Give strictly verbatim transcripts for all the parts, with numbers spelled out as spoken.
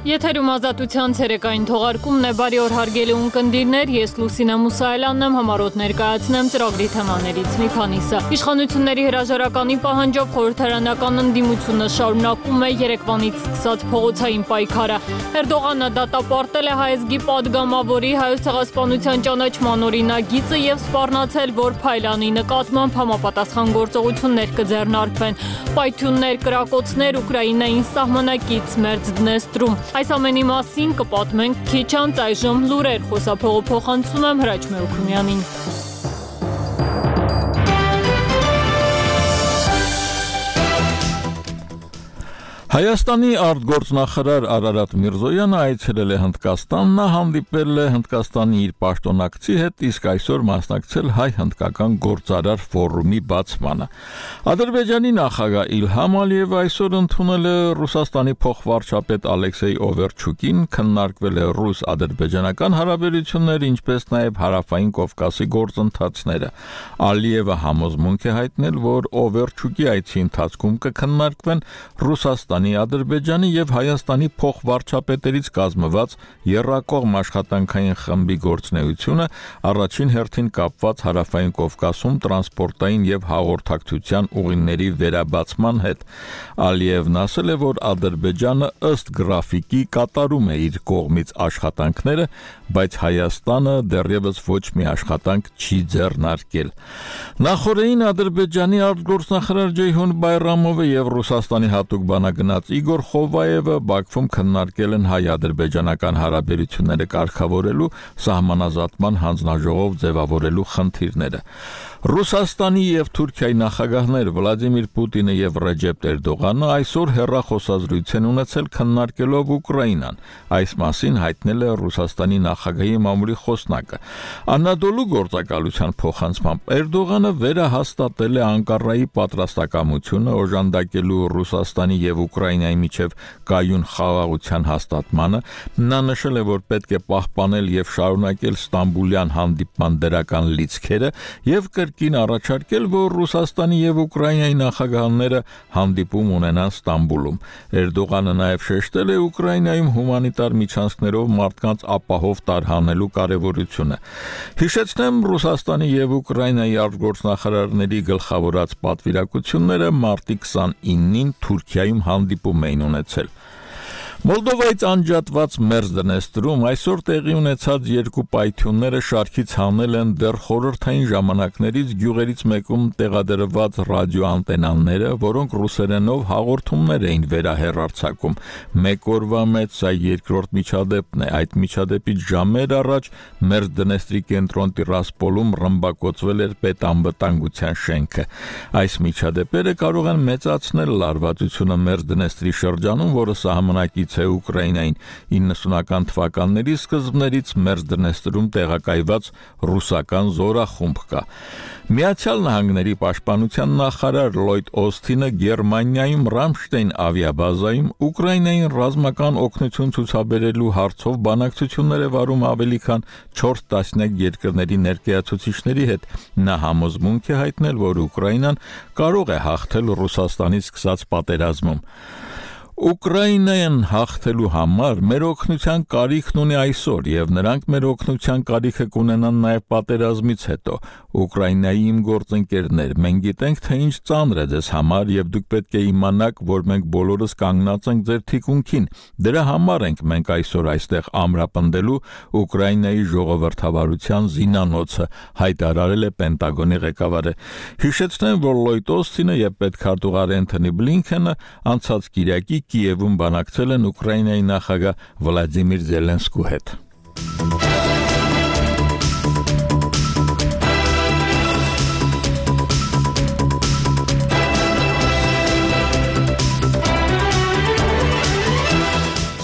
Եթերում ազատության ցերեկային թողարկումն է, բարի օր հարգելի ունկնդիրներ, ես Լուսինե Մուսայելյանն եմ, համառոտ ներկայացնեմ ծրագրի թեմաներից մի քանիսը։ Իշխանությունների հրաժարականի պահանջով խորհրդարանական ընդդիմությունը շարունակում է երեկվանից սկսած փողոցային պայքարը։ Էրդողանը դատապարտել է հայազգի падգամավորի Հայոց ցեղասպանության ճանաչման օրինագիծը եւ սպառնացել, որ Փայլյանի նկատմամբ համապատասխան գործողություններ կձեռնարկվեն։ Պայթյուններ, կրակոցներ Ուկրաինային սահմանակից մերձ Դնեստրում։ Այս ամենի մասին կպատմենք քիչ անց, այժմ լուրեր, խոսափողը փոխանցում եմ Հրաչ Մելքումյանին։ Հայաստանի արտգործնախարար Արարատ Միրզոյանը այցելել է Հնդկաստան, նա հանդիպել է Հնդկաստանի իր պաշտոնակցի հետ, իսկ այսօր մասնակցել հայ-հնդկական գործարար ֆորումի բացմանը։ Ադրբեջանի նախագահ Իլհամ Ալիևը այսօր ընդունել է Ռուսաստանի փոխվարչապետ Ալեքսեյ Օվերչուկին, քննարկվել է ռուս-ադրբեջանական հարաբերությունները, ինչպես նաև հարավային Կովկասի գործընթացները։ Ալիևը համոզմունք է հայտնել, որ Օվերչուկի այցի ընթացքում կքննարկվեն Ռուսաստանի Ադրբեջանի եւ Հայաստանի փոխվարչապետերից կազմված եռակողմ աշխատանքային խմբի գործունեությունը, առաջին հերթին կապված հարավային Կովկասում տրանսպորտային եւ հաղորդակցության ուղիների վերաբացման հետ։ Ալիևն ասել է, որ Ադրբեջանը ըստ գրաֆիկի կատարում է իր կողմից աշխատանքները, բայց Հայաստանը դեռևս ոչ մի աշխատանք չի ձեռնարկել։ Նախորդին Ադրբեջանի արտգործնախարար Ջեյհուն Բայրամովը եւ Ռուսաստանի հատուկ բանագնաց Իգոր Խովայևը Բաքվում քննարկել են հայ-ադրբեջանական հարաբերությունները կարգավորելու, սահմանազատման հանձնաժողով ձևավորելու խնդիրները։ Ռուսաստանի եւ Թուրքիայի նախագահներ Վլադիմիր Պուտինը եւ Ռեջեփ Էրդողանը այսօր հեռախոսազրույց են ունեցել քննարկելով Ուկրաինան։ Այս մասին հայտնել է Ռուսաստանի նախագահի մամուլի խոսնակը։ Անադոլու գործակալության փոխանցմամբ Էրդողանը վերահաստատել է Անկարայի պատրաստակամությունը օժանդակելու Ռուսաստանի եւ Ուկրաինայի միջև կայուն խաղաղության հաստատմանը։ Նա նշել է, որ պետք է պահպանել եւ շարունակել Ստամբուլյան հանդիպման դրական լիցքերը եւ կրկին առաջարկել, որ Ռուսաստանի եւ Ուկրաինայի նախագահները հանդիպում ունենան Ստամբուլում։ Էրդողանը նաեւ շեշտել է Ուկրաինայում հումանիտար միջանցքներով մարդկանց ապահով տարհանելու կարեւորությունը։ Հիշեցնեմ, Ռուսաստանի եւ Ուկրաինայի արտգործնախարարների գլխավորած պատվիրակությունները մարտի քսանինին Թուրքիայում հանդիպում էին ունեցել։ Մոլդովայից անջատված մերձ Դնեստրում այսօր տեղի ունեցած երկու պայթյունները շարքից հանել են դեռ խորհրդային ժամանակներից գյուղերից մեկում տեղադրված ռադիոանտենաները, որոնք ռուսերենով հաղորդումներ էին վերահեռարձակում։ Մեկ օրվա մեջ սա երկրորդ միջադեպն է։ Այդ միջադեպից ժամեր առաջ մերձ Դնեստրի կենտրոն Տիրասպոլում ռմբակոծվել էր պետանվտանգության շենքը։ Այս միջադեպերը կարող են մեծացնել լարվածությունը մերձ Դնեստրի շրջանում, որը սահմանակի է Ուկրաինային իննսունական թվականների սկզբներից մերձ Դնեստրում տեղակայված ռուսական զորախումբ կա։ Միացյալ Նահանգների պաշտպանության նախարար Լլոյդ Օսթինը Գերմանիայում Ռամշտեյն ավիաբազայում Ուկրաինային ռազմական օգնություն ցուցաբերելու հարցով բանակցություններ է վարում ավելի քան չորս տասնյակ երկրների ներկայացուցիչների հետ։ Նա համոզմունք է հայտնել, որ Ուկրաինան կարող է հաղթել Ռուսաստանից սկսած պատերազմում։ Ուկրաինան հաղթելու համար մեր օգնության կարիքն ունի այսօր, եւ նրանք մեր օգնության կարիքը կունենան նաեւ պատերազմից հետո։ Ուկրաինայի իմ գործընկերներ, մենք գիտենք, թե ինչ ծանր է ձեզ համար, եւ դուք պետք է իմանաք, որ մենք բոլորս կանգնած ենք ձեր թիկունքին։ Դրա համար ենք մենք այսօր այստեղ ամրապնդելու Ուկրաինայի ժողովրդավարության զինանոցը, հայտարարել է Պենտագոնի ղեկավարը։ Հիշեցնեմ, որ Լլոյդ Օսթինը եւ պետքարտուղար Էնթոնի Բլինքենը անցած կիրակի Կիևում բանակցել են Ուկրաինայի նախագահ Վլադիմիր Զելենսկու հետ։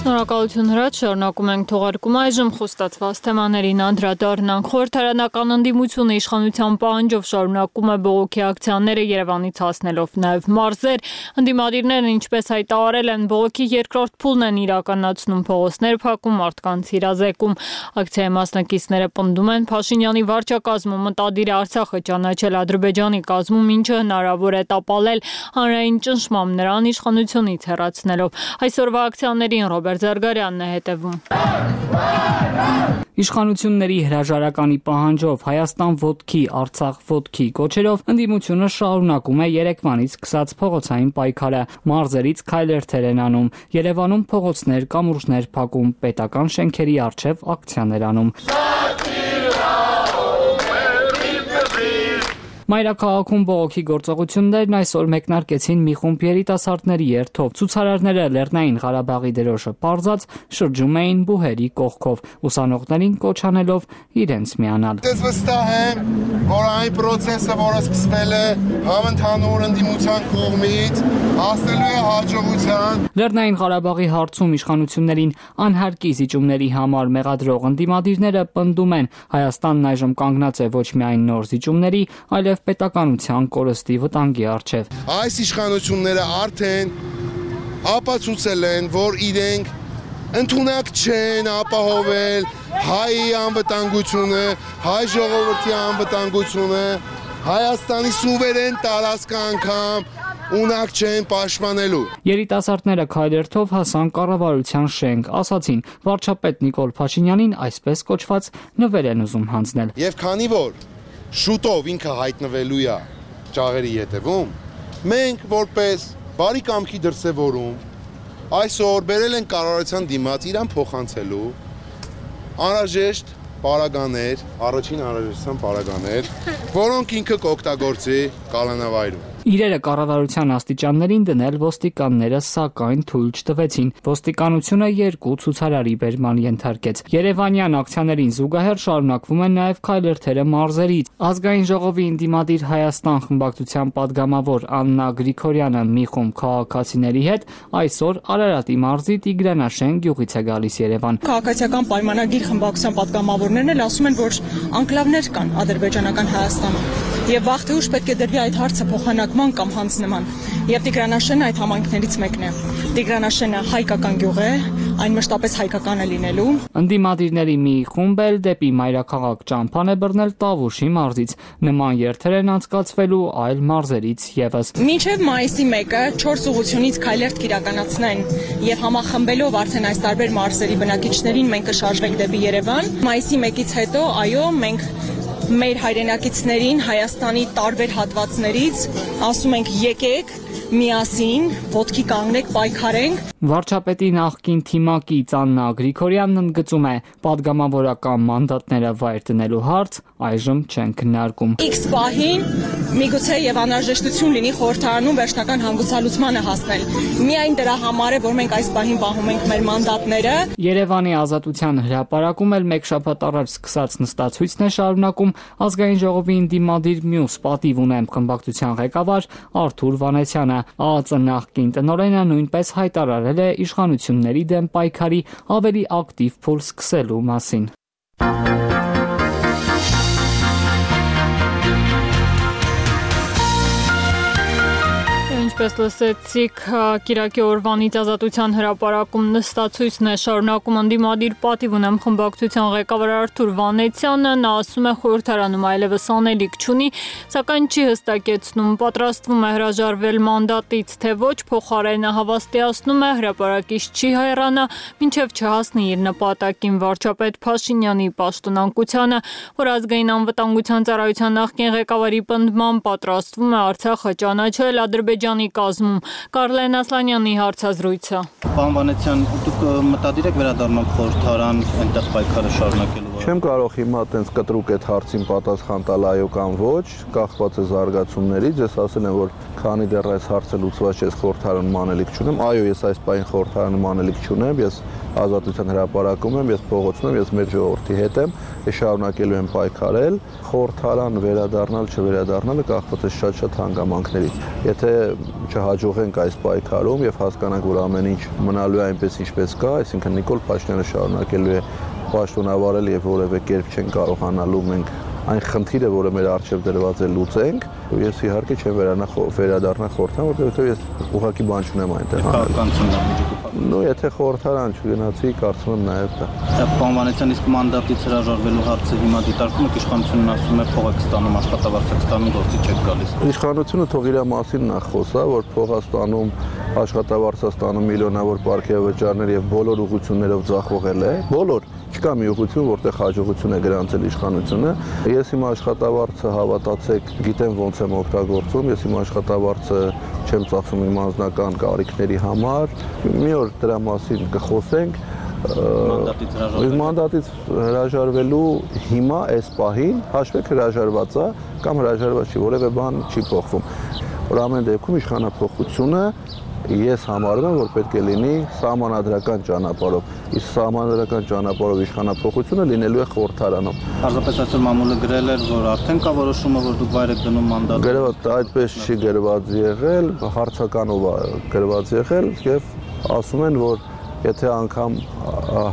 Շնորհակալություն Հրաչ, շարունակում ենք թողարկումը, այժմ խոստացված թեմաներին անդրադառնանք։ Խորհրդարանական ընդդիմությունը իշխանության պահանջով շարունակում է բողոքի ակցիաները Երևանից հասնելով նաև մարզեր։ Ընդդիմադիրներն ինչպես հայտարարել են, բողոքի երկրորդ փուլն են իրականացնում, փողոցներ փակում, մարդկանց հիրազեկում։ Ակցիայի մասնակիցները պնդում են Փաշինյանի վարչակազմում մտադիր է Արցախը ճանաչել Ադրբեջանի կազմում, ինչը հնարավոր է տապալել հանրային ճնշմամբ նրան իշխանությունից հեռացնելով։ Այսօրվա ակցիաներին Ռոբերտ Զարգարյանն է հետևում։ Իշխանությունների հրաժարականի պահանջով Հայաստան ոտքի, Արցախ ոտքի կոչերով ընդդիմությունը շարունակում է երեկվանից սկսած փողոցային պայքարը, մարզերից քայլերթեր են անում, Երևանում փողոցներ, կամուրջներ փակում, պետական շենքերի առջև ակցիաներ անում։ Մայրաքաղաքում բողոքի գործողություններն այսօր մեկնարկեցին մի խումբ երիտասարդների երթով։ Ցուցարարները Լեռնային Ղարաբաղի դրոշը պարզած շրջում էին բուհերի կողքով, ուսանողներին կոչ անելով իրենց միանալ։ Ես վստահ եմ, որ այն process-ը, որը սկսվել է համընդհանուր ընդդիմության կողմից, հասնելու է հաջողության։ Լեռնային Ղարաբաղի հարցում իշխանություններին անհարկի զիջումների համար մեղադրող ընդդիմադիրները պնդում են, Հայաստանն այժմ կանգնած է ոչ միայն նոր զիջումների, այլև պետականության կորստի վտանգի առջև։ Այս իշխանությունները արդեն ապացուցել են, որ իրենք ընդունակ չեն ապահովել հայի անվտանգությունը, հայ ժողովրդի անվտանգությունը, Հայաստանի սուվերեն տարածքը անգամ ունակ չեն պաշտպանելու։ Երիտասարդները քայլերթով հասան կառավարության շենք, ասացին, վարչապետ Նիկոլ Փաշինյանին այսպես կոչված նվեր են ուզում հանձնել։ Եվ քանի որ շուտով ինքը հայտնվելու է ճաղերի ետևում, մենք որպես բարի կամքի դրսևորում այսօր բերել են կառավարության դիմաց իրան փոխանցելու անհրաժեշտ պարագաներ, առաջին անհրաժեշտության պարագաներ, որոնք ինքը կօգտագործի կալանավայրում։ Իրերը կառավարության աստիճաններին դնել ոստիկանները սակայն թույլ չտվեցին։ Ոստիկանությունը երկու ցուցարարի բերման ենթարկեց։ Երևանյան ակցիաներին զուգահեռ շարունակվում են նաև քայլերթերը մարզերից։ Ազգային ժողովի ընդդիմադիր Հայաստան խմբակցության падգամավոր Աննա Գրիգորյանը մի խումբ քաղաքացիների հետ այսօր Արարատի մարզի Տիգրանաշեն գյուղից է գալիս Երևան։ Քաղաքացիական պայմանագիր խմբակցության падգամավորներն էլ ասում են, որ անկլավներ կան ադրբեջանական Հայաստանում։ Եվ վաղ թե ուշ պետք է դրվի այդ հարցը փոխանակման կամ հանձնման։ Եվ Տիգրանաշենը այդ համայնքներից մեկն է։ Տիգրանաշենը հայկական գյուղ է, այն մշտապես հայկական է լինելու։ Ընդդիմադիրների մի խումբ էլ դեպի մայրաքաղաք ճամփան է բռնել Տավուշի մարզից։ Նման երթեր են անցկացվելու այլ մարզերից եւս։ Մինչև մայիսի մեկը չորս ուղղությունից քայլերթ կիրականացնեն եւ համախմբելով արդեն այս տարբեր մարզերի բնակիչներին մենք կշարժվենք դեպի Երևան։ Մայիսի մեկից հետո, այո, մենք մեր հայրենակիցներին Հայաստանի տարբեր հատվածներից ասում ենք եկեք միասին ոտքի կանգնեք պայքարենք։ Վարչապետի նախկին թիմակից Աննա Գրիգորյանն ընդգծում է, падգամավորական մանդատները վայր դնելու հարց այժմ չեն քննարկում։ X պահին միգուցե եւ անհրաժեշտություն լինի խորհրդարանում վերջնական հանգուցալուծմանը հասնել։ Միայն դրա համար է, որ մենք այս պահին պահում ենք մեր մանդատները։ Երևանի Ազատության հրապարակում էլ մեկ շաբաթ առաջ սկսած նստացույցն է շարունակում Ազգային ժողովի ընդդիմադիր մյուս պատիվ ունեմ խմբակցության ղեկավար Արթուր Վանեցյանը։ ԱԱԾ նախկին տնօրենը նույնպես հայտարարել է իշխանությունների դեմ պայքարի ավելի ակտիվ փուլ սկսելու մասին։ Ինչպես լսեցիք, կիրակի օրվանից Ազատության հրապարակում նստացույցն է շարունակում ընդդիմադիր պատիվ ունեմ խմբակցության ղեկավար Արթուր Վանեցյանը։ Նա ասում է խորհրդարանում այլևս անելիք չունի, սակայն չի հստակեցնում պատրաստվում է հրաժարվել մանդատից, թե ոչ, փոխարենը հավաստիացնում է հրապարակից չի հեռանա, մինչև չհասնի իր նպատակին։ Վարչապետ Փաշինյանի պաշտոնանկությանը, որ ազգային անվտանգության ծառայության նախկին ղեկավարի պնդմամբ պատրաստվում է Արցախը ճանաչել Ադրբեջանի կազմում։ Կարլեն Ասլանյանի հարցազրույցը։ Պարոն Վանեցյան, դուք մտադիր եք վերադառնալ խորհրդարան, այնտեղ պայքարը շարունակելու։ Չեմ կարող հիմա այտենց կտրուկ այդ հարցին պատասխան տալ այո կամ ոչ, կախված է զարգացումներից։ Ես ասել եմ, որ քանի դեռ այս հարցը լուծված չէ, խորհրդարանում անելիք չունեմ։ Այո, ես այս պահին խորհրդարանում անելիք չունեմ, ես Ազատության հրապարակում եմ, ես փողոցում եմ, ես մեր ժողովրդի հետ եմ, ես շարունակելու եմ պայքարել, խորհրդարան վերադառնալ, չվերադառնալը կախված է շատ-շատ հանգամանքներից։ Եթե չհաջողենք այս պայքարում եւ հասկանանք, որ ամեն ինչ մնալու է այնպես ինչպես կա, այսինքն Նիկոլ Փաշինյանը շարունակելու է պաշտոնավարել եւ որևէ կերպ չեն կարողանալու մենք այն խնդիրը, որը մեր առջև դրված է, լուծենք, Ես իհարկե չեմ վերանա վերադառնա խորհրդարան, որովհետև ես ուղղակի բան չունեմ այնտեղ։ Նո, եթե խորհրդարան չգնացի, կարծում եմ նաև դա։ Պարոն Վանեցյան, իսկ մանդատից հրաժարվելու հարցը հիմա դիտարկում եք, իշխանությունն ասում է փող եք ստանում, աշխատավարձ եք ստանում, գործի չեք գալիս։ Իշխանությունը թող իր մասին նախ խոսա, որ փող է ստանում, աշխատավարձ է ստանում միլիոնավոր պարգևավճարներ եւ բոլոր ուղղություններով ձախողել է, բոլոր չկա մի ուղղություն, որտեղ հաջողություն է գրանցել իշխանությունը։ Ես իմ աշխատավարձը, հավատացեք, գիտեմ ոնց եմ օգտագործում, ես իմ աշխատավարձը չեմ ծախսում իմ անձնական կարիքների համար։ Մի օր դրա մասին կխոսենք։ Մանդատից հրաժարվելու հիմա այս պահին հաշվեք հրաժարված է կամ հրաժարված չի, որևէ բան չի փոխվում։ Որ ամեն դեպքում իշխանափոխությունը ես համարում եմ, որ պետք է լինի սահմանադրական ճանապարհով։ Իսկ սահմանադրական ճանապարհով իշխանափոխությունը լինելու է խորհրդարանում։ Պարզապես այսօր մամուլը գրել էր, որ արդեն կա որոշումը, որ դուք վայր եք դնում մանդատը։ Գրված այդպես չի գրված եղել, հարցականով է գրված եղել եւ ասում են, որ եթե անգամ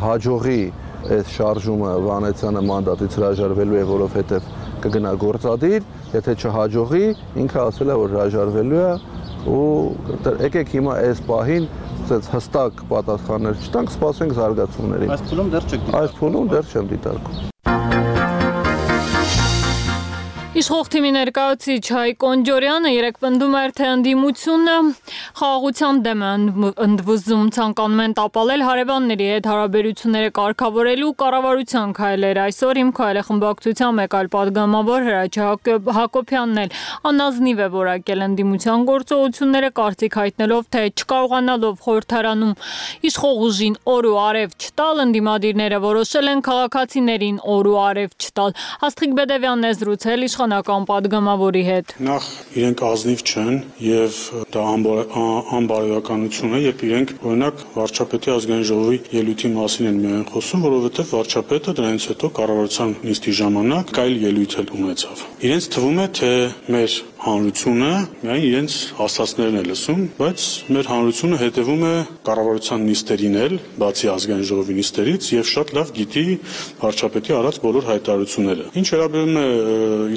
հաջողի այս շարժումը Վանեցյանը մանդատից հրաժարվելու է, որովհետեւ կգնա գործադիր, եթե չհաջողի, ինքը ասել է, որ հրաժարվելու է ու եկեք հիմա այս պահին ցած հստակ պատասխաններ չտանք, սպասենք զարգացումներին։ Այս փուլում դեռ չեք դիտարկում։ Այս փուլում դեռ չեմ դիտարկում։ Իշխող թիմի ներկայացուցիչ Հայկ Կոնջորյանը երեկ պնդում էր, թե ընդդիմությունը խաղաղության դեմ է ընդվզում, ցանկանում են տապալել հարևանների հետ հարաբերությունները կարգավորելու կառավարության քայլերը։ Այսօր Իմ քայլը խմբակցության մեկ այլ պատգամավոր Հրաչյա Հակոբյանն էլ անազնիվ է որակել ընդդիմության գործողությունները, կարծիք հայտնելով, թե չկարողանալով խորհրդարանում իշխող ուժին օր ու արև չտալ, ընդդիմադիրները որոշել են քաղաքացիներին օր ու արև չտալ։ Աստղիկ Բեդևյանն է զրուցել իշխանական պատգամավորի հետ։ Նախ իրենք ազնիվ չեն եւ դա անբարոյականություն է, երբ իրենք օրինակ վարչապետի ազգային ժողովի ելույթի մասին են միայն խոսում, որովհետեւ վարչապետը դրանից հետո կառավարության նիստի ժամանակ կայլ ելույթ էլ ունեցավ։ Իրենց թվում է, թե մեր հանրությունը միայն իրենց ասածներն է լսում, բայց մեր հանրությունը հետևում է կառավարության նիստերին էլ, բացի ազգային ժողովի նիստերից եւ շատ լավ գիտի վարչապետի արած բոլոր հայտարարությունները։ Ինչ վերաբերում է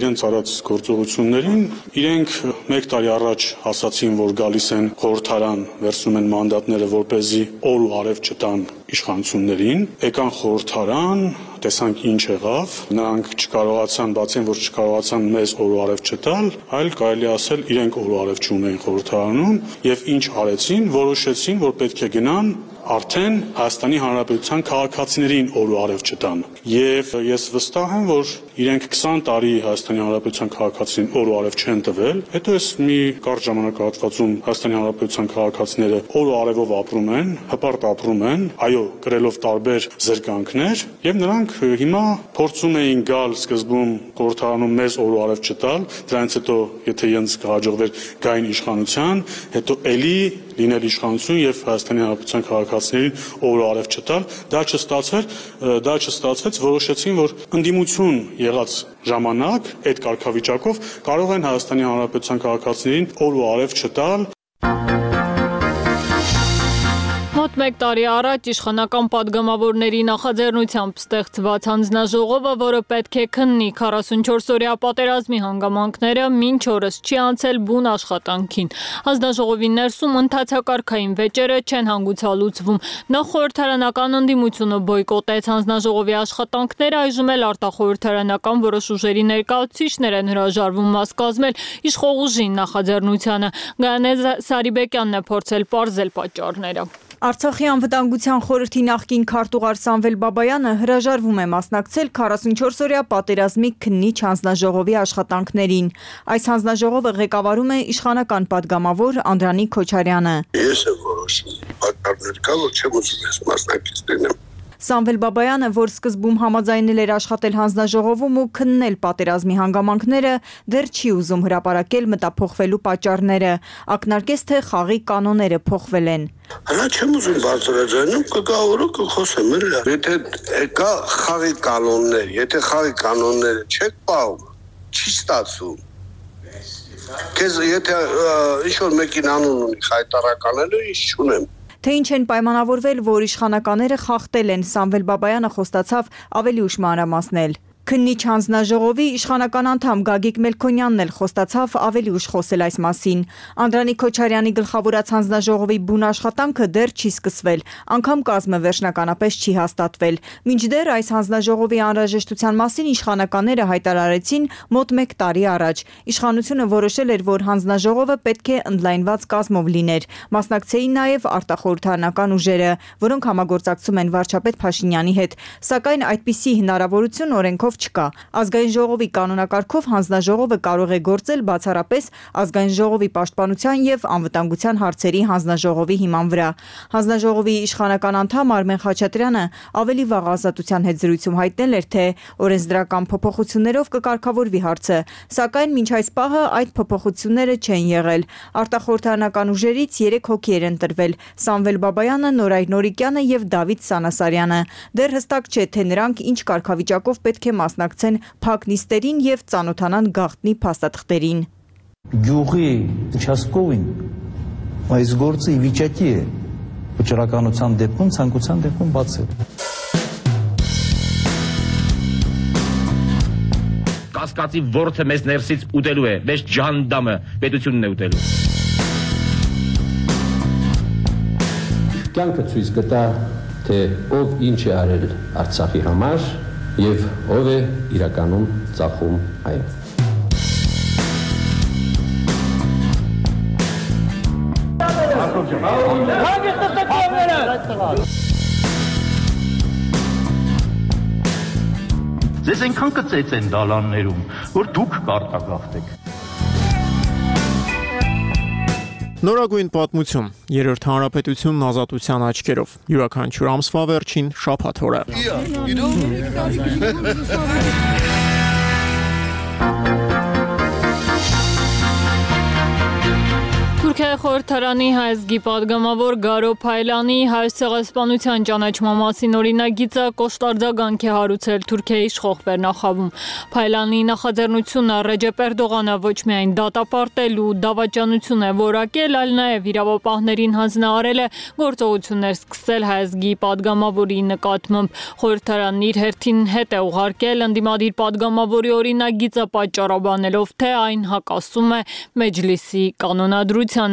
իրենց արած գործողություններին, իրենք մեկ տարի առաջ ասացին, որ գալիս են խորհրդարան, վերցնում են մանդատները, որպեսզի օր ու արև չտան իշխանություններին, եկան խորհրդարան, տեսանք ինչ եղավ, նրանք չկարողացան, բացի որ չկարողացան մեզ օր ու արև չտալ, այլ կարելի ասել իրենք օր ու արև չունեին խորհրդարանում եւ ինչ արեցին, որոշեցին, որ պետք է գնան արդեն Հայաստանի Հանրապետության քաղաքացիներին օր ու արև չտան։ Եվ ես վստահ եմ, որ իրենք քսան տարի Հայաստանի Հանրապետության քաղաքացիներին օր ու արև չեն տվել, հետո այս մի կարճ ժամանակահատվածում Հայաստանի Հանրապետության քաղաքացիները օր ու արևով ապրում են, հպարտ ապրում են, այո, կրելով տարբեր զրկանքներ, եւ նրանք հիմա փորձում էին գալ սկզբում խորհրդարանում մեզ օր ու արև չտալ, դրանից հետո եթե իրենց կհաջողվեր գային իշխանության, հետո էլի լինել իշխանություն եւ Հայաստանի Հանրապետության քաղաքացիներին օր ու արև չտալ, դա չստացվեր, դա չստացվեց, որոշեցին, որ ընդդիմություն եղած ժամանակ այդ կարգավիճակով կարող են Հայաստանի Հանրապետության քաղաքացիներին օր ու արև չտալ։ Մոտ մեկ տարի առաջ իշխանական պատգամավորների նախաձեռնությամբ ստեղծված հանձնաժողովը, որը պետք է քննի քառասունչորս-օրյա պատերազմի հանգամանքները, մինչ օրս չի անցել բուն աշխատանքին։ Հանձնաժողովի ներսում ընթացակարգային վեճերը չեն հանգուցալուծվում։ Նախ խորհրդարանական ընդդիմությունը բոյկոտեց հանձնաժողովի աշխատանքները, այժմ էլ արտախորհրդարանական որոշ ուժերի ներկայացուցիչներ են հրաժարվում մաս կազմել իշխող ուժին նախաձեռնությանը։ Գայանե Սարիբեկյանն է փորձել պարզել պատճառները։ Արցախի անվտանգության խորհրդի նախկին քարտուղար Սամվել Բաբայանը հրաժարվում է մասնակցել քառասունչորս-օրյա պատերազմի քննիչ հանձնաժողովի աշխատանքներին։ Այս հանձնաժողովը ղեկավարում է իշխանական պատգամավոր Անդրանիկ Քոչարյանը։ Ես եմ որոշում, պատճառներ կա, որ չեմ ուզում ես մասնակից լինեմ։ Սամվել Բաբայանը, որ սկզբում համաձայնել էր աշխատել հանձնաժողովում ու քննել պատերազմի հանգամանքները, դեռ չի ուզում հրապարակել մտափոխվելու պատճառները, ակնարկեց, թե խաղի կանոնները փոխվել են։ Հələ չեմ ուզում բարձրաձայնում, կգա օրը կխոսեմ, եթե կա խաղի կանոններ, եթե խաղի կանոնները չեք պահում, չի ստացվում։ Քեզ եթե ինչ-որ մեկին անուն ունի հայտարարականելու, ինչ չունեմ։ Թե ինչ են պայմանավորվել, որ իշխանականները խախտել են, Սամվել Բաբայանը խոստացավ ավելի ուշ մանրամասնել։ Քննիչ հանձնաժողովի իշխանական անդամ Գագիկ Մելքոնյանն էլ խոստացավ ավելի ուշ խոսել այս մասին։ Անդրանիկ Քոչարյանի գլխավորած հանձնաժողովի բուն աշխատանքը դեռ չի սկսվել, անգամ կազմը վերջնականապես չի հաստատվել։ Մինչդեռ այս հանձնաժողովի անհրաժեշտության մասին իշխանականները հայտարարեցին մոտ մեկ տարի առաջ։ Իշխանությունը որոշել էր, որ հանձնաժողովը պետք է ընդլայնված կազմով լիներ։ Մասնակցեին նաև արտախորհրդարանական ուժերը, որոնք համագործակցում են վարչապետ Փաշինյանի հետ, սակայն այդպիսի հնարավորություն օրենքով չկա։ Ազգային ժողովի կանոնակարգով հանձնաժողովը կարող է գործել բացառապես ազգային ժողովի պաշտպանության եւ անվտանգության հարցերի հանձնաժողովի հիման վրա։ Հանձնաժողովի իշխանական անդամ Արմեն Խաչատրյանը ավելի վաղ ազատության հետ զրույցում հայտնել էր, թե օրենսդրական փոփոխություններով կկարգավորվի հարցը, սակայն մինչ այս պահը այդ փոփոխությունները չեն եղել։ Արտախորհրդարանական ուժերից երեք հոգի էր ընտրվել՝ Սամվել Բաբայանը, Նորայր Նորիկյանը եւ Դավիթ Սանասարյանը։ Դեռ հստակ չէ, թե նրանք ինչ կարգավիճակով պետք է մասնակցեն փակ նիստերին եւ ծանոթանան գաղտնի փաստաթղթերին։ Գյուղի участковին այս գործը ի վիճակի է վճռականության դեպքում, ցանկության դեպքում բացել։ Կասկածի ворթը մեզ ներսից ուտելու է, մեզ ջանդամը պետությունն է ուտելու։ Կյանքը ցույց կտա, թե ով ինչ է արել Արցախի համար եւ ով է իրականում ծախում այն։ Ձեզ այնքան կծեց են դալաններում, որ դուք կարտագաղթեք։ Նորագույն պատմություն, երրորդ հանրապետությունն ազատության աչքերով, յուրաքանչյուր ամսվա վերջին շաբաթ օրը։ Թուրքիայի խորհրդարանի հայազգի պատգամավոր Գարո Փայլանի հայոց ցեղասպանության ճանաչման մասին օրինագիծը կոշտարձագանք է հարուցել Թուրքիայի իշխող վերնախավում։ Փայլանի նախաձեռնությունը Ռեջեփ Էրդողանը ոչ միայն դատապարտել ու դավաճանություն է որակել, այլ նաև իրավապահներին հանձնարարել է գործողություններ սկսել հայազգի պատգամավորի նկատմամբ։ Խորհրդարանն իր հերթին հետ է ուղարկել ընդդիմադիր պատգամավորի օրինագիծը պատճառաբանելով, թե այն հակասում է Մեջլիսի կանոնադրությանը։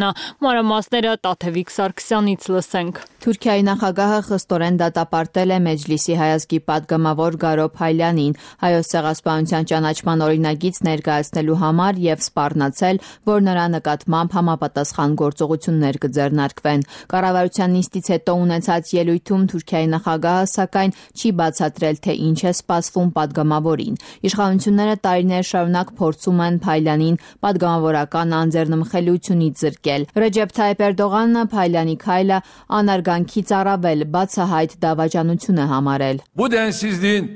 Մանրամասները Տաթևիկ Սարգսյանից լսենք։ Թուրքիայի նախագահը խստորեն դատապարտել է Մեջլիսի հայազգի պատգամավոր Գարո Փայլյանին հայոց ցեղասպանության ճանաչման օրինագիծ ներկայացնելու համար եւ սպառնացել, որ նրա նկատմամբ համապատասխան գործողություններ կձեռնարկվեն։ Կառավարության նիստից հետո ունեցած ելույթում Թուրքիայի նախագահը սակայն չի բացատրել, թե ինչ է սպասվում պատգամավորին։ Իշխանությունները տարիներ շարունակ փորձում են Փայլյանին պատգամավորական անձեռնմխելիությունից զրկել։ Ռեջեփ Թայիփ Էրդողանը Փայլյանի քայլը անարգանքից առավել բացահայտ դավաճանություն է համարել։ Bu densizliğin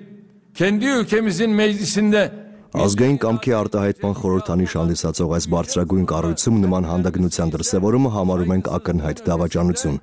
kendi ülkemizin meclisinde Ազգային կամքի արտահայտման խորհրդանիշ հանդիսացող այս բարձրագույն կառույցում նման հանդգնության դրսևորումը համարում ենք ակնհայտ դավաճանություն։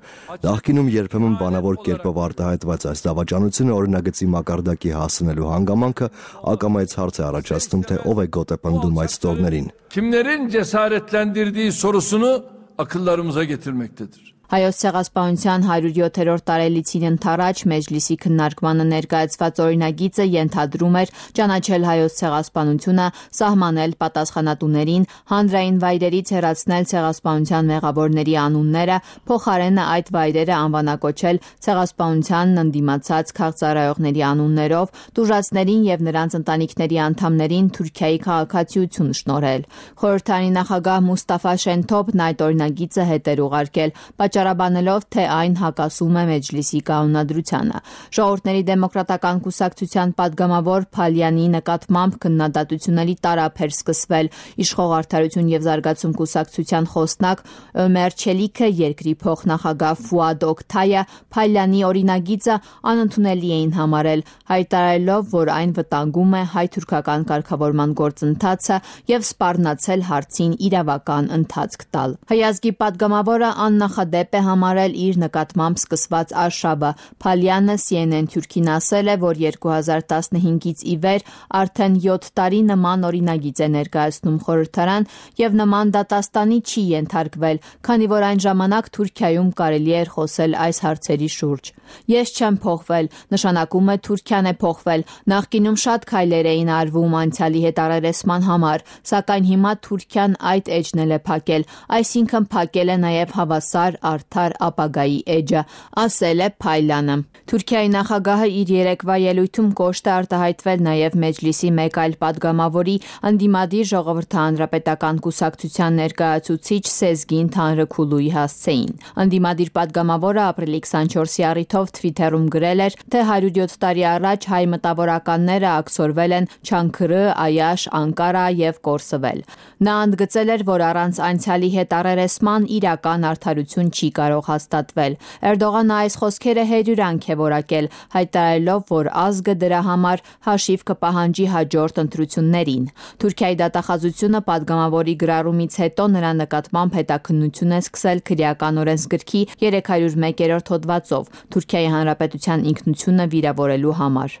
Նախկինում երբեմն բանավոր կերպով արտահայտված այս դավաճանությունը օրինագծի մակարդակի հասնելու հանգամանքը ակամայից հարց է առաջացնում, թե ով է գոտեպնդում այդ ստորներին։ Kimlerin cesaretlendirdiği sorusunu akıllarımıza getirmektedir։ Հայոց ցեղասպանության հարյուր յոթերորդ տարելիցին ընթառաջ Մեջլիսի քննարկմանը ներկայացված օրինագիծը ենթադրում էր ճանաչել հայոց ցեղասպանությունը, սահմանել պատասխանատուներին, հանրային վայրերից հեռացնել ցեղասպանության մեղավորների անունները, փոխարենը այդ վայրերը անվանակոչել ցեղասպանությանն ընդդիմացած քաղծառայողների անուններով, տուժածներին եւ նրանց ընտանիքների անդամներին Թուրքիայի քաղաքացիություն շնորհել։ Խորհրդարանի նախագահ Մուստաֆա Շենթոփն այդ օրինագիծը հետ էր ուղարկել, պատճառաբանելով, թե այն հակասում է Մեջլիսի կանոնադրությանը։ Ժողովուրդների դեմոկրատական կուսակցության պատգամավոր Փալյանի նկատմամբ քննադատությունների տարափ էր սկսվել։ Իշխող Արդարություն եւ Զարգացում կուսակցության խոսնակ Ömer Çelikը, երկրի փոխնախագահ Ֆուադ Օկթայը Փալյանի օրինագիծը անընդունելի էին համարել, հայտարարելով, որ այն վտանգում է հայ-թուրքական կարգավորման գործընթացը եւ սպառնացել հարցին իրավական ընթացք տալ։ Հայազգի պատգամավորը աննախադեպ կերպ է համարել իր նկատմամբ սկսված արշավը։ Փալյանը C N N Թուրքին ասել է, որ երկու հազար տասնհինգից ի վեր արդեն յոթ տարի նման օրինագիծ է ներկայացնում խորհրդարան եւ նման դատաստանի չի ենթարկվել, քանի որ այն ժամանակ Թուրքիայում կարելի էր խոսել այս հարցերի շուրջ։ Ես չեմ փոխվել, նշանակում է Թուրքիան է փոխվել։ Նախկինում շատ քայլեր էին արվում անցյալի հետ առերեսման համար, սակայն հիմա Թուրքիան այդ էջն էլ է փակել, այսինքն փակել է նաև հավասար արդար ապագայի էջը, ասել է Փայլյանը։ Թուրքիայի նախագահը իր երեկվա ելույթում կոշտ է արտահայտվել նաև Մեջլիսի մեկ այլ падգամավորի ընդդիմադիր ժողովրդի հանրապետական կուսակցության ներկայացուցիչ Սեզգին Թանրքուլուի հասցեին։ Ընդդիմադիր падգամավորը ապրիլի քսանչորսի առիթով Թվիթերում գրել էր, թե հարյուր յոթ տարի առաջ հայ մտավորականները աքսորվել են Չանքրը, Այաշ, Անկարա եւ Կորսվել։ Նա ընդգծել էր, որ առանց անցյալի հետ առերեսման իրական արդարություն չի կարող հաստատվել։ Էրդողանը այս խոսքերը հերյուրանք է որակել, հայտարարելով, որ ազգը դրա համար հաշիվ կպահանջի հաջորդ ընտրություններին։ Թուրքիայի դատախազությունը падգամավորի գրառումից հետո նրա նկատմամբ հետաքննություն է սկսել քրեական օրենսգրքի երեք հարյուր մեկերորդ հոդվածով Թուրքիայի Հանրապետության ինքնությունը վիրավորելու համար։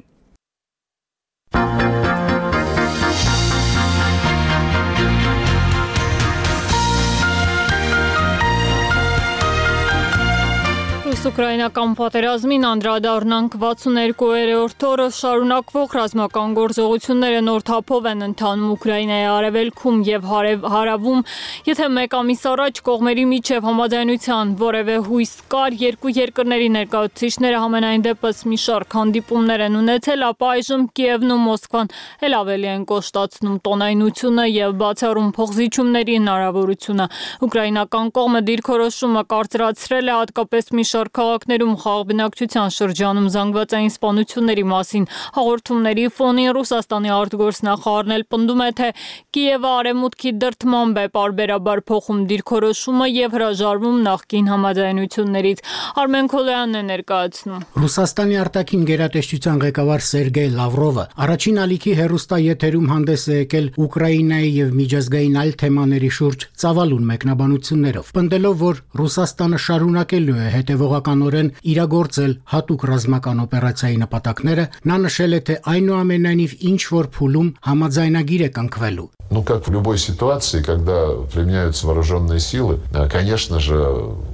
Ռուս-ուկրաինական պատերազմին անդրադառնանք վաթսունհերկուերորդ օրը շարունակվող ռազմական գործողությունները նոր թափով են ընթանում Ուկրաինայի արևելքում եւ հարավում, եթե մեկ ամիս առաջ կողմերի միջև համաձայնության որևէ հույս կար, երկու երկրների ներկայացուցիչները համենայն դեպս մի շարք հանդիպումներ են ունեցել, ապա այժմ Կիևն ու Մոսկվան էլ ավելի են կոշտացնում տոնայնությունը եւ բացառում փոխզիջումների հնարավորությունը։ Ուկրաինական կողմը դիրքորոշումը կարծրացրել է հատկապես մի շարք քաղաքներում խաղաղ բնակչության շրջանում զանգվածային սպանությունների մասին հաղորդումների ֆոնին Ռուսաստանի արտգործնախարարն էլ պնդում է, թե Կիևը արևմուտքի դրդմամբ է պարբերաբար փոխում դիրքորոշումը եւ հրաժարվում նախկին համաձայնություններից։ Արմեն Քոլոյանն է ներկայացնում։ Ռուսաստանի արտաքին գերատեսչության ղեկավար Սերգեյ Լավրովը առաջին ալիքի հերոստաեթերում հանդես է եկել Ուկրաինայի եւ միջազգային այլ թեմաների շուրջ ծավալուն մեկնաբանություններով, պնդելով, որ Ռուսաստանը շարունակելու է հետևողականորեն իրագործել հատուկ ռազմական օպերացիայի նպատակները, նա նշել է, թե այնուամենայնիվ ինչ որ փուլում համաձայնագիր է կնքվելու։ Ну, как в любой ситуации, когда применяются вооруженные силы, конечно же,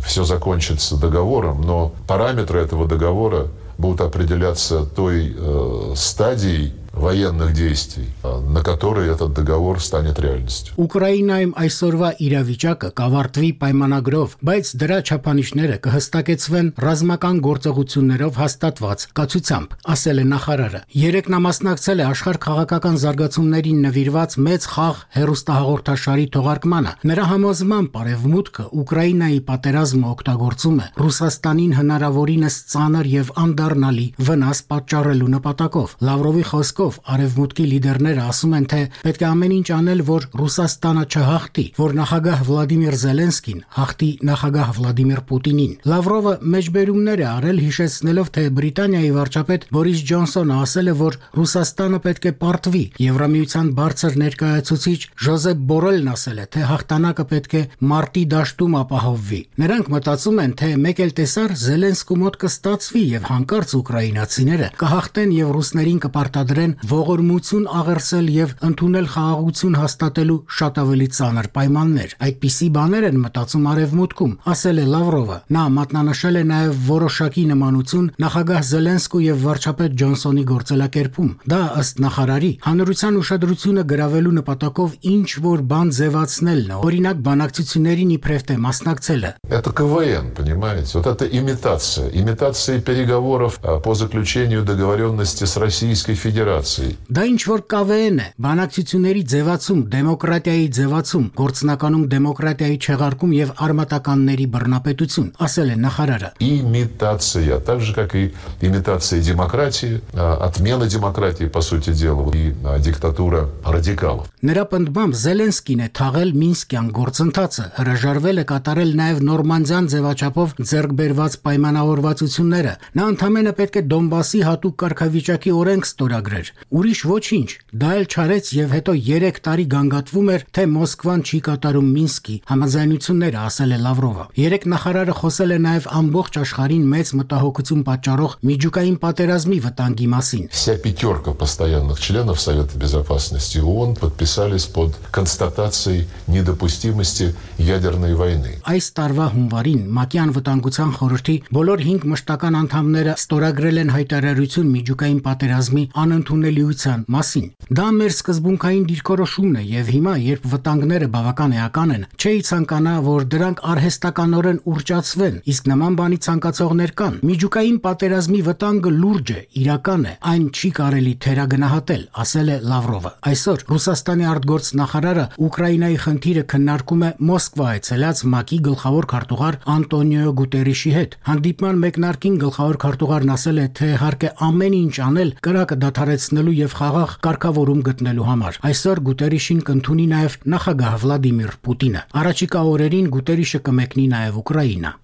все закончится договором, но параметры этого договора будут определяться той э, стадией военных действий, на которые этот договор станет реальностью. Ուկրաինայում այսօրվա իրավիճակը կավարտվի պայմանագրով, բայց դրա չափանիշները կհստակեցվեն ռազմական գործողություններով հաստատված կացությամբ, ասել է նախարարը։ Երեկ նա մասնակցել է աշխարհ քաղաքական զարգացումներին նվիրված մեծ խաղ հեռուստահաղորդաշարի թողարկմանը։ Նրա համոզմամբ Արևմուտքը Ուկրաինայի պատերազմը օգտագործում է Ռուսաստանին հնարավորինս ծանր եւ անդառնալի վնաս պատճառելու նպատակով։ Լավրովի խոսքով Արևմուտքի լիդերները ասում են, թե պետք է ամեն ինչ անել, որ Ռուսաստանը չհաղթի, որ նախագահ Վլադիմիր Զելենսկին հաղթի նախագահ Վլադիմիր Պուտինին։ Լավրովը մեջբերումներ է արել, հիշեցնելով, թե Բրիտանիայի վարչապետ Բորիս Ջոնսոնը ասել է, որ Ռուսաստանը պետք է պարտվի։ Եվրամիության բարձր ներկայացուցիչ Ժոզեփ Բորելն ասել է, թե հաղթանակը պետք է մարտի դաշտում ապահովվի։ Նրանք մտածում են, թե մեկ էլ տեսար Զելենսկու մոտ կստացվի եւ հանկարծ ուկրաինացիները կհաղթեն եւ ռուսներին կպարտադրեն ողորմություն աղերսել եւ ընդունել խաղաղություն հաստատելու շատ ավելի ծանր պայմաններ։ Այդպիսի բաներ են մտածում Արևմուտքում, ասել է Լավրովը։ Նա մատնանշել է նաեւ որոշակի նմանություն նախագահ Զելենսկու եւ վարչապետ Ջոնսոնի գործելակերպում։ Դա ըստ նախարարի հանրության ուշադրությունը գրավելու նպատակով ինչ որ բան ձևացնելն է, օրինակ բանակցություններին իբրև թե մասնակցելը։ Это КВН, понимаете? Вот это имитация, имитация переговоров по заключению договоренности с Российской Федерацией. Դա ինչ որ ԿՎՆ է, բանակցությունների ձևացում, դեմոկրատիայի ձևացում, գործնականում դեմոկրատիայի չեղարկում եւ արմատականների բռնապետություն, ասել է նախարարը։ Имитация, так же как и имитация демократии, отмена демократии, по сути дела, и диктатура радикалов. Նրա պնդմամբ Զելենսկին է թաղել Մինսկյան գործընթացը, հրաժարվել է կատարել նաեւ Նորմանդիան ձևաչափով ձեռք բերված պայմանավորվածությունները։ Նա ընդամենը պետք է Դոնբասի հատուկ կարգավիճակի օրենք ստորագրեր։ Ուրիշ ոչինչ, դա էլ չարեց եւ հետո երեք տարի գանգատվում էր, թե Մոսկվան չի կատարում Մինսկի համաձայնությունները, ասել է Լավրովը։ Երեք նախարարը խոսել է նաեւ ամբողջ աշխարհին մեծ մտահոգություն պատճառող միջուկային պատերազմի վտանգի մասին։ Вся пятерка постоянных членов Совета Безопасности ООН подписались под констатацией недопустимости ядерной войны. Այս տարվա հունվարին ՄԱԿ-ի անվտանգության խորհրդի բոլոր հինգ մշտական անդամները ստորագրել են հայտարարություն միջուկային պատերազմի անընդունելիության մասին։ Դա մեր սկզբունքային դիրքորոշումն է եւ հիմա, երբ վտանգները բավական էական են, չէի ցանկանա, որ դրանք արհեստականորեն ուռճացվեն, իսկ նման բանի ցանկացողներ կան։ Միջուկային պատերազմի վտանգը լուրջ է, իրական է, այն չի կարելի թերագնահատել, ասել է Լավրովը։ Այսօր Ռուսաստանի արտգործնախարարը Ուկրաինայի խնդիրը քննարկում է Մոսկվա այցելած ՄԱԿ-ի գլխավոր քարտուղար Անտոնիո Գուտերիշի հետ։ Հանդիպման մեկնարկին գլխավոր քարտուղարն ասել է, թե իհարկե ամեն ինչ անել կրակը դադարեցնելու եւ խաղաղ կարգավորում գտնելու համար։ Այսօր Գուտերիշին կընդունի նաեւ նախագահ Վլադիմիր Պուտինը։ Առաջիկա օրերին Գուտերիշը կմեկնի նաեւ Ուկրաինա։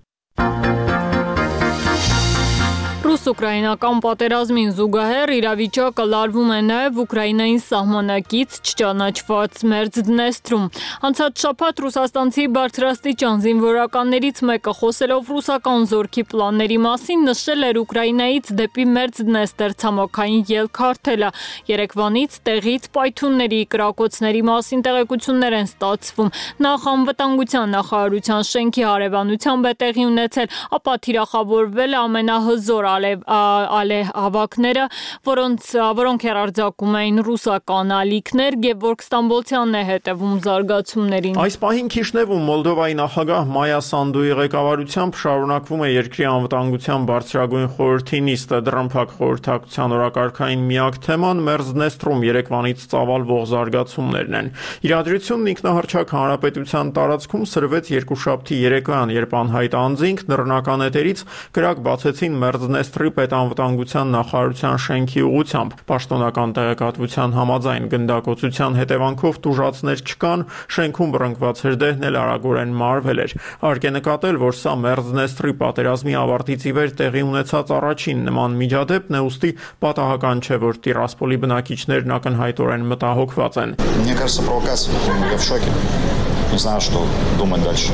Ռուս-ուկրաինական պատերազմին զուգահեռ իրավիճակը լարվում է նաև Ուկրաինային սահմանակից չճանաչված Մերձդնեստրում։ Անցած շաբաթ ռուսաստանցի բարձրաստիճան զինվորականներից մեկը խոսելով ռուսական զորքի պլանների մասին նշել էր Ուկրաինայից դեպի Մերձդնեստր ցամաքային ելք հարթելը։ Երեկվանից տեղից պայթյունների, կրակոցների մասին տեղեկություններ են ստացվում։ Նախ անվտանգության նախարարության շենքի հարևանությամբ է տեղի ունեցել, ապա թիրախավորվել ամենահզոր ալե հավաքները, որոնց որոնք հերարձակում էին ռուսական ալիքներ, Գևորգ Ստամբոլցյանն է հետևում զարգացումներին։ Այս պահին Քիշնևում Մոլդովայի նախագահ Մայա Սանդուի ղեկավարությամբ շարունակվում է երկրի անվտանգության բարձրագույն խորհրդի նիստը։ Դռնփակ խորհրդակցության օրակարգային միակ թեման Մերձդնեստրում երեկվանից ծավալվող զարգացումներն են։ Իրադրությունն ինքնահռչակ հանրապետության տարածքում սրվեց երկուշաբթի երեկոյան, երբ անհայտ անձինք նռնական էտերից կրակ բացեցին Մերձդնեստրի պետանվտանգության նախարարության շենքի ուղղությամբ։ Պաշտոնական տեղեկատվության համաձայն գնդակոծության հետևանքով տուժածներ չկան, շենքում բռնկված հրդեհն էլ արագորեն մարվել էր։ Հարկ է նկատել, որ սա Մերձդնեստրի պատերազմի ավարտից ի վեր տեղի ունեցած առաջին նման միջադեպն է, ուստի պատահական չէ, որ Տիրասպոլի բնակիչներն ակնհայտորեն մտահոգված են։ Мне кажется, провокация. Я в шоке. Не знаю, что думать дальше.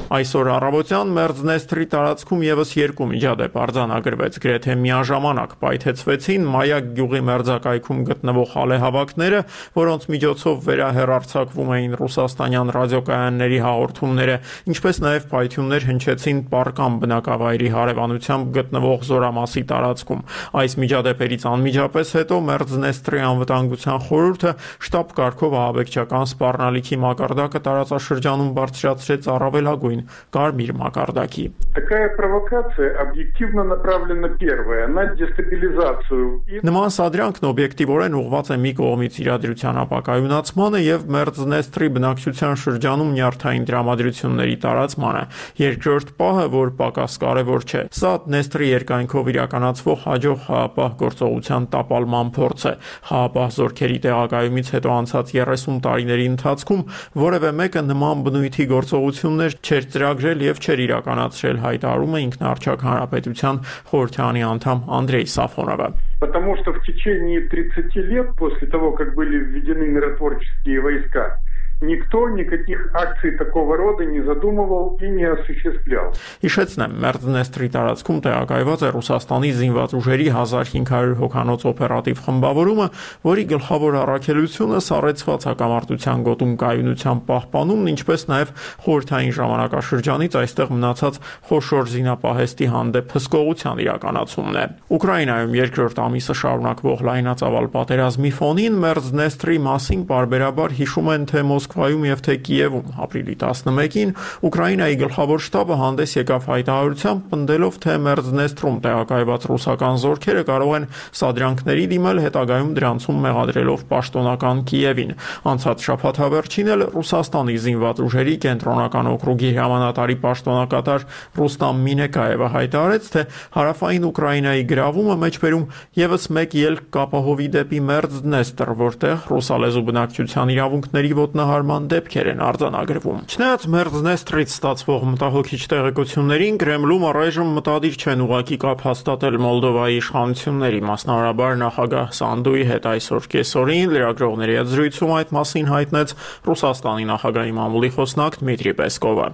Այսօր առավոտյան Մերձդնեստրի տարածքում եւս երկու միջադեպ արձանագրվեց, գրեթե միաժամանակ պայթեցվեցին Մայակ գյուղի մերձակայքում գտնվող ալեհավաքները, որոնց միջոցով վերահեռարձակվում էին ռուսաստանյան ռադիոկայանների հաղորդումները, ինչպես նաեւ պայթյուններ հնչեցին Պարկամ բնակավայրի հարևանությամբ գտնվող Զորամասի տարածքում։ Այս միջադեպերից անմիջապես հետո Մերձդնեստրի անվտանգության խորհուրդը շտաբ կարգով ահաբեկչական սպառնալիքի մակարդակը տարածաշրջանում բարձրացրեց առավելագույն կարմիր մակարդակի։ Такая провокация объективно направлена первая на дестабилизацию. Նման սադրյանքն օբյեկտիվորեն ուղղված է մի կողմից իրադրության ապակայունացմանը եւ Մերձդնեստրի բնակչության շրջանում նյարդային դրամատրությունների տարածմանը։ Երկրորդ պահը, որ պակաս կարևոր չէ, սա Դնեստրի երկայնքով իրականացվող հաջող խաղապահ գործողության տապալման փորձ է։ Խաղապահ զորքերի տեղակայումից հետո անցած երեսուն տարիների ընթացքում որևէ մեկը նման բնույթի գործողություններ չէր ծրագրել եւ չէր իրականացրել, հայտարարում է ինքնարչակ հանրապետության խորհրդանի անդամ Անդրեյ Սաֆոնովը։ Потому что в течение тридцати лет после того, как были введены миротворческие войска, никто никаких акций такого рода не задумывал и не осуществлял. Հիշեցնեմ, Մերձդնեստրի տարածքում տեղակայված է Ռուսաստանի զինված ուժերի հազար հինգ հարյուր հոգանոց օպերատիվ խմբավորումը, որի գլխավոր առաքելությունը սառեցված հակամարտության գոտում կայունության պահպանումն, ինչպես նաև խորհրդային ժամանակաշրջանից այստեղ մնացած խոշոր զինապահեստի հանդեպ հսկողության իրականացումն է։ Ուկրաինայում երկրորդ ամիսը շարունակվող լայնածավալ պատերազմի ֆոնին Մերձդնեստրի մասին պարբերաբար հիշում են թե Մոսկվայում եւ թե Կիևում։ Ապրիլի տասնմեկին Ուկրաինայի գլխավոր շտաբը հանդես եկավ հայտարարությամբ, պնդելով, թե Մերձդնեստրում տեղակայված ռուսական զորքերը կարող են սադրյանքների դիմել, հետագայում դրանցում մեղադրելով պաշտոնական Կիևին։ Անցած շաբաթավերջին էլ Ռուսաստանի զինված ուժերի կենտրոնական օկրուգի հրամանատարի պաշտոնակատար Ռուստամ Մինեկաևը հայտարարեց, թե հարավային Ուկրաինայի գրավումը մեջբերում եւս մեկ ելք կապահովի դեպի Մերձդնեստր, որտեղ ռուսալեզու բնակչության իրավունքների ոտնահարումը սպառման դեպքեր են արձանագրվում։ Չնայած Մերձնեստրից ստացվող մտահոգիչ տեղեկություններին Կրեմլում առայժմ մտադիր չեն ուղղակի կապ հաստատել Մոլդովայի իշխանությունների, մասնավորաբար նախագահ Սանդուի հետ այսօր կեսօրին լրագրողների հետ զրույցում այդ մասին հայտնեց Ռուսաստանի նախագահի մամուլի խոսնակ Դմիտրի Պեսկովը։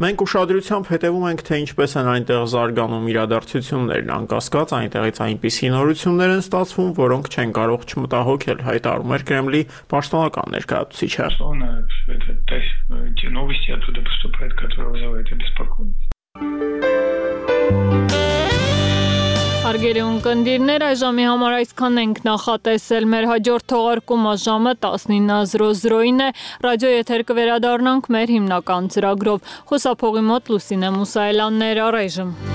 Մենք ուշադրությամբ հետևում ենք, թե ինչպես են այնտեղ զարգանում իրադարձություններն, անկասկած այնտեղից այնպիսի նորություններ են ստացվում, որոնք չեն կարող չմտահոգել, հայտարարում էր Կրեմլի պաշտոնական ներկայացուցիչը։ Հարգելի ունկնդիրներ, այժմի համար այսքան ենք նախատեսել։ Մեր հաջորդ թողարկումը ժամը տասնինը զրո զրոին է։ Ռադիո եթեր կվերադառնանք մեր հիմնական ծրագրով։ Խոսափողի մոտ Լուսինե Մուսայելյանն էր, առայժմ։